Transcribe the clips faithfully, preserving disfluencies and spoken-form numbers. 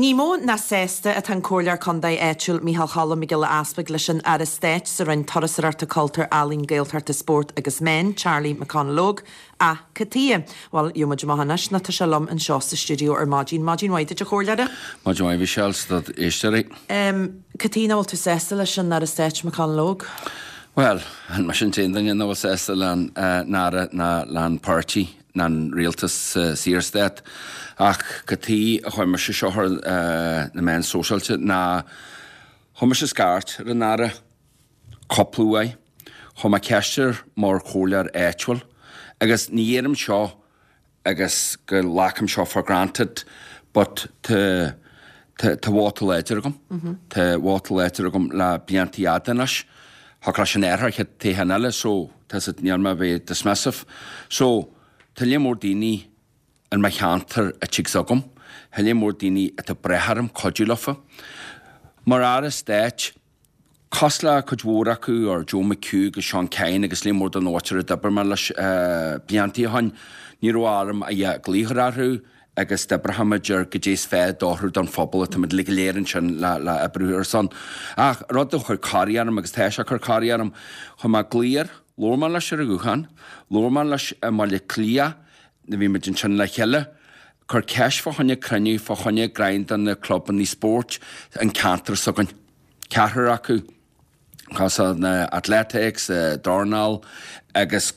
Ní mó ná sásta atá an Comhairleoir Contae áitiúil Micheál Choilm Mac Giolla Easpaig leis an Aire Stáit sa Roinn Turasóireachta Cultúir Ealaíon Gaeltachta Spórt agus Meán Charlie McConalogue ach cad chuige. Bhuel gheobhaimid amach anois nó tá sé liom anseo sa stiúideo ar maidin maidin mhaith duit a chomhairleora. Maidin mhaith Michelle 's do éisteoirí. Um, Cad chuige nach bhfuil tú sásta leis an Aire Stáit McConalogue? Well, an mar sin aon duine nach bhfuil sásta leis an Aire ná leis an páirtí ná an rialtas uh, Saorstát ach cad chuige a chuir mise seo ar uh, na meáin sóisialta ná chuir mise scairt ar an Aire cúpla uair, chuir mé ceist air mar chomhairleoir áitiúil, agus ní dhéanaim seo agus go nglacaim seo for granted, but tá tá vóta láidir agam Tá vóta láidir agam le blianta fada anois, Tá leis an airthir te eile so tá níl mé bheith dismissive. So tá lear mór daoine in mo cheantar a tigh agam, Tá lear mór daoine atá ag brath orm cuidiú leofa. Mar Aire Stáit, cosúil le cuid mhór acu ar Joe McHugh agus Sean Kyne agus lear mór den áit a d'oibir mé leis blianta ó shin, ní raibh orm a dhath glaoch orthu agus d'oibreoimid ar goidé is fearr d'othrú don phobal atá muid go léir ansin le le oibriú ar son. Ach rud a chuir corraí orm agus tá sé ag cur corraí orm chuir mé glaoch air, labhair mé leis ar an ghuthán, labhair mé leis i mBaile Cliath, na bhí muid ansin le chéile, Cur ceist fá choinne cruinniú fá choinne greim do na clubanna spóirt an ceantar s'againn. Ceathrar acu cosúil na athletics, uh, dornáil agus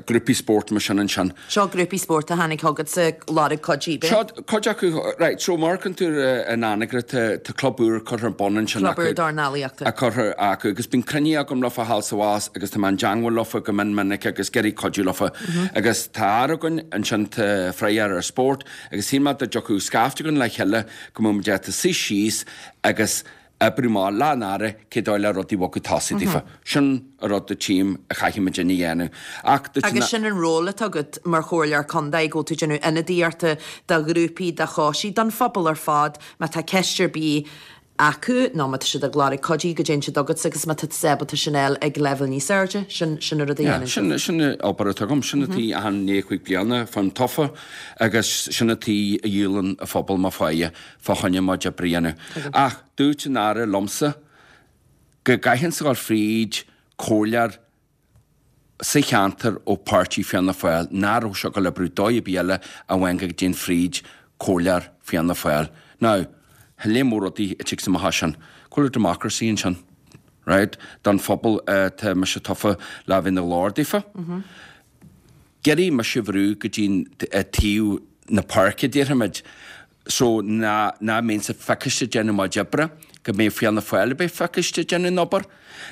grúpaí spórt mar sin ansin. Seo grúpaí spórt a tháinig chugat sa lorg cuidiú. Seo cuid acu right, so mar tú an Anagaire tá club úr curtha ar bun ansin Club úr dornálaíochta. a curtha acu agus bíonn cruinnithe agam leofa thall sa bhás agus tá mé i dteagmháil leofa go mion minic agus ag iarraidh cuidiú leofa. Agus tá aire againn ansin tá freagrach ar spórt agus shíl mé dá dtiocfadh scaifte againn le chéile go mbeadh muid ag suí síos agus oibriú amach leis an Aire cé dóigh le rudaí bhogadh tosaigh daofa. Sin a rud a tchím a chaithfidh muid a dhéanamh. Ach Agus sin an ról atá agat mar chomhairleoir contae go tú déanamh ionadaíochta do ghrúpaí do choistí don phobal ar fad má tá ceist ar bith acu nó má tá siad ag lorg cuidiú go dtéann siad chugat agus má tá ábalta sin eil ag leibhéal níos airde sin sin a rud a dhéanann Sin sin obair atá agam sin atí an né chuig bliana fan tofa agus sin atí a dhíolann a phobal má fáie fá choinne má oibre a dhéanamh. Ach dúirt an Aire liomsa go gcaithfinn a ghabháil fríd comhairleoir sa cheantar ó páirtí Fianna Fáil nach raibh sé go oibriú dóigh ar bith eile a bhain go dtéann fríd comhairleoir Fianna Fáil. Now, lear mór rudaí a tig amach sin, Cúla democracy ansin. Right? Don phobal uh, tá mise tofa le bheith ina ghlór daofa. Gerí me se bhrú go dtín taobh na páirce déarfaimid, so ná ná mbeinnse feiciste déanamh mo oibre, go mbeidh Fianna Fáil beidh feiciste déanamh an obair.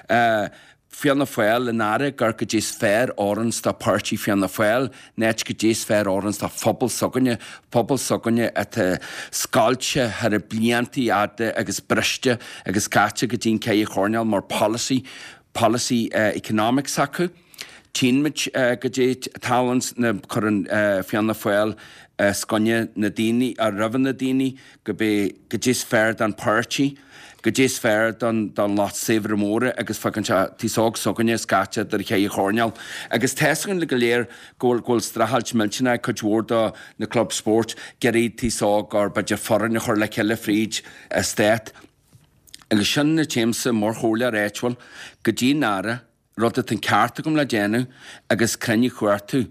Uh, Fianna Fáil an Aire gur goidé is fearr oireanns do páirtí Fianna Fáil, net goidé is fearr oireanns do phobal s'againne, pobal s'againne atá scoilte thar na blianta fhada agus briste agus caite go dtín ceithre choirnéal mar policy, policy uh, economics acu. Tchímid uh, goidé talents na chuireann uh, Fianna Fáil uh, scoine na daoine a roimh na daoine go bé goidé is fearr don páirtí, goidé is fearr don don lucht saibhre móra agus fágann sé aos óg s'againne scaite idir cheithre choirnéal. Agus tá a fhios againn le go léir go bhfuil go bhfuil streachailt millteanach cuid mhór do na club spóirt ag iarraidh aos óg ar b'fhéidir foireann a chur le chéile fríd a stát. Agus sin na téamsa mar chomhairleoir áitiúil go dtí an Aire rud atá an ceart agam le déanamh agus cruinniú chuartú.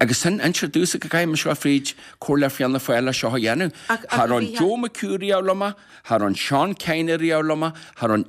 Agus sin introduce go gcaithfidh seo fríd comhairleoir Fianna Fáil seo a dhéanamh. Ach- ach Thar an bhí- Joe McHugh riamh liom, thar an Sean Kyne riamh liom, thar an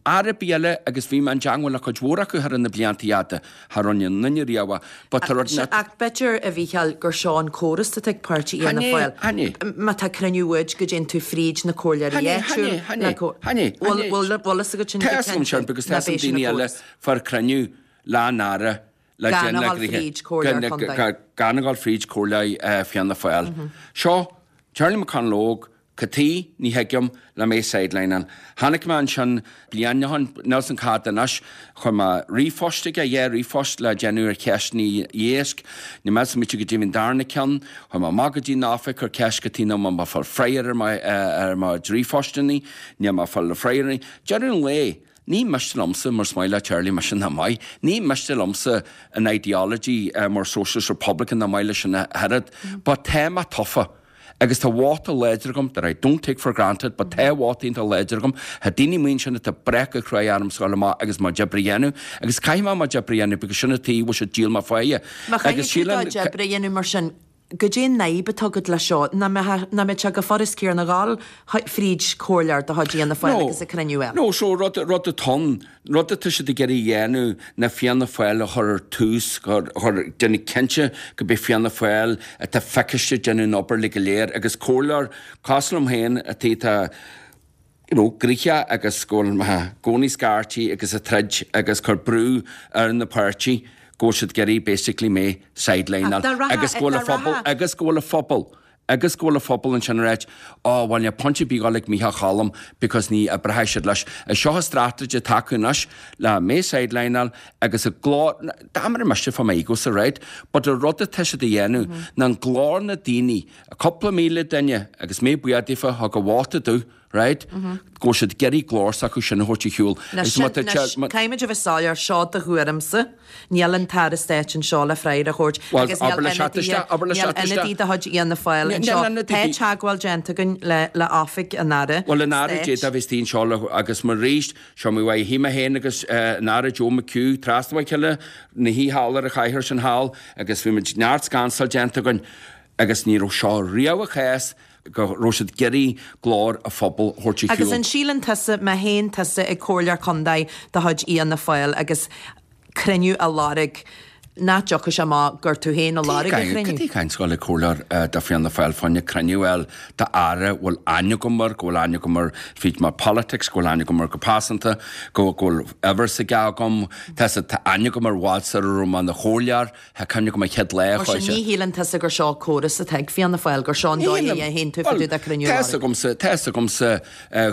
Aire eile agus bhí mé i dteagmháil le cuid mhór acu thar na blianta fhada, thar an nduine riamh, but tá rud na- Ach b'fhéidir a Mhícheáil gur seo an córas atá ag páirtí Fhianna Hanné, Fáil. hanné. Má tá cruinniú uaid go dtéann tú fríd na comhairleoirí Hanné, áitiúil. hanné, hanné, hanné. Bhfuil fhios agat sin Tá a fhios agam sin, because tá a fhios agam daoine eile far cruinniú leis an Aire le Gan déanamh a ghabháil grithe. fríd comhairleoir Gan- contae. gan- Gan a ghabháil fríd comhairleoir eh, Fianna Fáil. Seo, Charlie McConalogue, Cataí ní thuigim le mé sideline. Tháinig mé ansin bliain Nelson Cad anois chuir mé ríomhphost aige dhá ríomhphost le déanamh ar cheisteanna éisc, Ní me mí go dtí darna ceann, chuir mé amach go dtí an oifig ar ceist go dtí má fáil freagra ar mar ar mo ríomhphostanna, ní má fáil le freagra. Deireadh an lae, Ní miste liomsa mar is maith le Charlie mar sin maith. Ní miste liomsa an ideology uh, mar Socialist Republican na maith leis an herad, mm. But tá mé tofa. Agus tá vóta láidir agam that I don't take for granted, but tá vóta iontach láidir agam, tá daoine amuigh ansin atá breac go cruaidh ormsa gabháil amach agus mo oibre a dhéanamh, agus caithfidh mé mo oibre a dhéanamh because sin an tuige a bhfuil siad ag díol mo pháighe. Má chaithfidh tú do oibre a dhéanamh mar sin, goidé an fhadhb atá agat leis seo? Nach mbeadh sé go furast céanna a ghabháil fríd comhairleoir de chuid Fhianna Fáil agus an cruinniú eile? No, so rud rud atá ann, rud atá siad ag iarraidh a dhéanamh ná Fianna Fáil a chur ar tús, chur, chur, déanamh cinnte go mbeidh Fianna Fáil atá feiciste ag déanamh an obair uilig go léir agus comhairleoir cosúil liom féin atá, atá, you know, gnoitheach agus go bhfuil mé i gcónaí scairtí agus ag troid agus cur brú ar na páirtí go bhfuil siad ag iarraidh basically mé sidelineáil agus go bhfuil a phobal agus go bhfuil a phobal agus go bhfuil a phobal ansin ag ráit ó bhuel níl point ar bith dul ag Mícheál Choilm because ní oibreoidh siad leis. Is seo an strategy atá acu anois le mé sidelineáil agus a glór dá mbeadh mise fá m'ego sa right but an rud atá siad a dhéanamh ná an glór na daoine cúpla míle duine agus mé buíoch daofa thug a vóta domh right? Go bhfuil siad ag iarraidh glór s'acu sin a thabhairt ar shiúl. Anois, caithfimid a bheith soiléir, seo do thuairimse, níl an tAire Stáit anseo le freagra a thabhairt agus níl ionadaí de chuid Fhianna Fáil anseo. Tá teagmháil déanta againn le oifig an Aire Bhuel, an Aire Stáit. D'fhéadfadh a bheith istigh anseo le agus mar arís, seo mé uaidh, shuigh mé féin agus an Aire Joe McHugh trasna ó chéile ina shuí thall ar an chathaoir sin thall agus bhí muid neart scansáil déanta againn agus ní raibh seo riamh an chás go raibh siad ag iarraidh glór an phobail a thabhairt ar Agus shiúl. an síleann tusa, má théann tusa ag comhairleoir contae de chuid Fhianna Fáil agus cruinniú a lorg, nach dtiocfaidh sé amach gur tú féin a lorg an chruinniú? Cad é caint dul ag comhairleoir de Fianna Fáil fá choinne cruinniú a fháil d'aire a bhfuil aithne agam air, go bhfuil aithne agam air fríd mo politics, go bhfuil aithne agam air go pearsanta, go bhfuil uimhir s'aige agam, tá aithne agam air i bhfad sar a raibh mé ina chomhairleoir. Tá cuimhne agam an chéad lá a Mar sin, chuaigh sé. ní shíleann tusa gur seo córas atá ag Fianna Fáil, gur seo an dóigh a dhéanann tú fá dtaobh de cruinniú Tá fhios agamsa, tá fhios agamsa,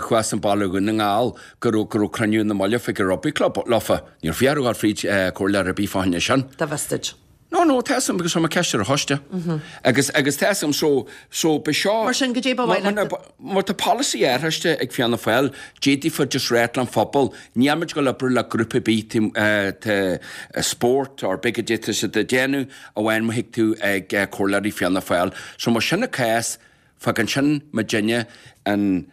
chuas an baile Dhún na nGall go raibh, go raibh cruinniú ina mbaile chuig an Rugby Club leofa. Níor fiafraíodh a ghabháil fríd comhairleoir ar bith fá choinne sin. Dá bhfios duit. No, no, tá fhios agam because chuir mé ceist ar an choiste. Agus, agus tá fhios agam, so, so ba seo. Mar sin, goidé ba mhaith leat. Má tá polasaí ar choiste ag Fianna Fáil, d'fhéadfaí just ráit leis an phobal, níl muid ag dul oibriú le grúpa ar bith tá spórt or big goidé tá siad ag déanamh amháin má thig tú ag comhairleoirí Fianna Fáil. So más sin an cás, fágann sin muidinne an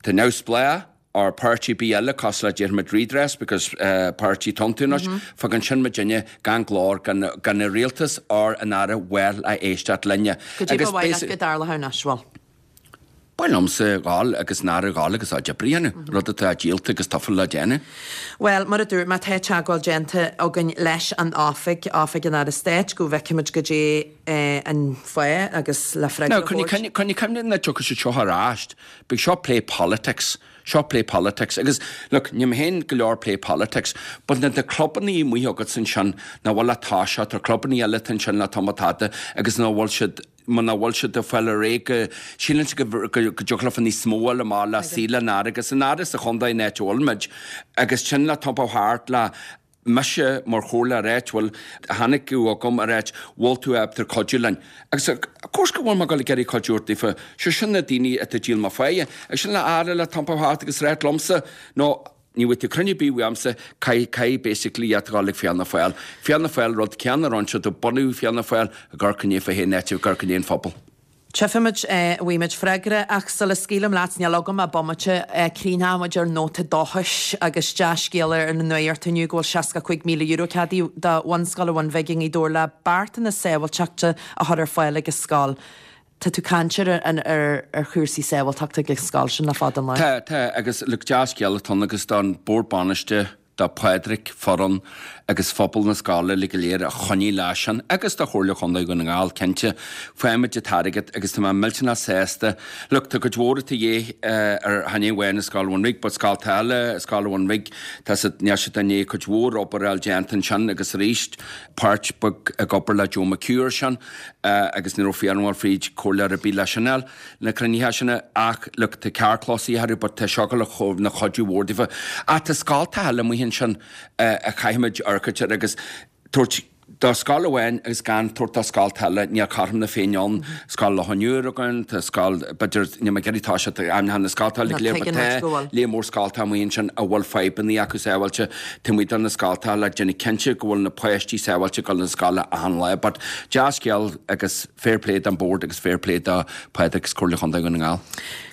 tá neamhspleách or páirtí ar bith eile cosúil le déarfaimid Redress because páirtí atá iontu anois, fágann sin muidinne gan glór, gan gan an rialtas or an Aire bhuel a éisteacht linne. Goidé ba mhaith leat go dtarlódh anois, bhuel? Ba mhaith liomsa dhul agus an Aire dhul agus a oibre a dhéanamh, rud atá díolta agus tofa le déanamh. Bhuel, mar a dúirt mé, tá teagmháil déanta againn leis an oifig, Oifig an Aire Stáit, go bhfeicfimid goidé an fáth agus le freagra Now, a thabhairt. coinnigh cuimhne nach dtiocfaidh siad seo ar ais. Beidh seo play politics. Seo play politics. Agus, look, níl mé féin go leor play politics, but na na clubannaí amuigh agat ansin, nach bhfuil le toiseacht, tá clubannaí eile atá ansin le tamall fada agus nach bhfuil siad, muna bhfuil siad ag fáil ar aghaidh go, síleann siad go, go, go dtiocfadh leofa níos mó a fháil amach le suí le an Aire agus an Aire sa chontae an áit a bhfuil muid agus sin le iompó thart le mise mar chomhairleoir áitiúil, tháinig tú chugam a ráit bhfuil tú ábalta cuidiú linn. Agus of course go bhfuil mé ag dul ag iarraidh cuidiú ort daofa, sé sin na daoine atá ag díol mo pháighe. Agus sin le Aire le iompó thart agus ráit liomsa no ní bhfuil tú cruinniú ar bith uaimse, caithfidh, caithfidh basically iad a dhul ag Fianna Fáil. Fianna Fáil rud céanna a rinne siad ó bunaíodh Fianna Fáil ag amharc i ndiaidh fá féin áit ag amharc i ndiaidh an phobail. Tchífimid, bhfaighimid freagra ach sula scaoilim leat, níl agam ach bomaite, críochnóidh muid ar nóta dóchais agus dea-scéala ar an nuacht inniu go bhfuil seasca cúig míle euro ceadaithe do Bhunscoil an Bhun Bhig i nGaoth Dobhair le beartanna sábháilteachta a chur ar fáil ag an scoil. Tá tú ag caint ar ar chúrsaí sábháilteachta ag an scoil sin le fada an lá. Tá, tá, agus look, dea-scéala atá ann agus don Bord Bainistithe, do Phádraig, foireann agus phobal na scoile uilig go léir a choinnigh leis sin agus do Chomhairle Chontae Dhún na nGall, cinnte. Faighimid an t-airgead agus tá mé millteanach sásta. Look, tá cuid mhór atá de dhíth ar chan é amháin an Scoil Bhun Bhig but scolta eile, Scoil Bhun Bhig, tá siad, níl siad i ndiaidh cuid mhór obair a fháil déanta ansin agus arís páirt beag ag obair le Joe McHugh ar sin agus ní raibh fiafraí fríd comhairleoir ar bith leis sin fháil na cruinnithe sin ach look, tá carrchlós orthu but tá seo ina chuidiú mhór daofa. Ach tá scoltacha eile amuigh ansin a chaithfimid amharc air agus tabhairt Do scoil amháin agus gan tabhairt do scoilte eile, níl cothrom na Féinne ann. Scoil Loch an Iúir againn, tá scoil, b'fhéidir, níl mé ag iarraidh toiseacht ag ainmneacha na scoilte uilig go léir, but tá léar mór scoilte amuigh ansin a bhfuil fadhbanna acu sábháilte taobh amuigh de na scoilte le déanamh cinnte go bhfuil na páistí sábháilte ag dul na scoile achan lá. But dea-scéal agus fair play don Bhord agus fair play do Phádraig agus Comhairle Chontae Dhún na nGall.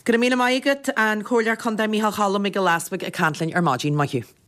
Go raibh míle maith agat, an Comhairleoir Contae Micheál Choilm Mac Giolla Easbuig ag caint linn ar maidin. Maith thú.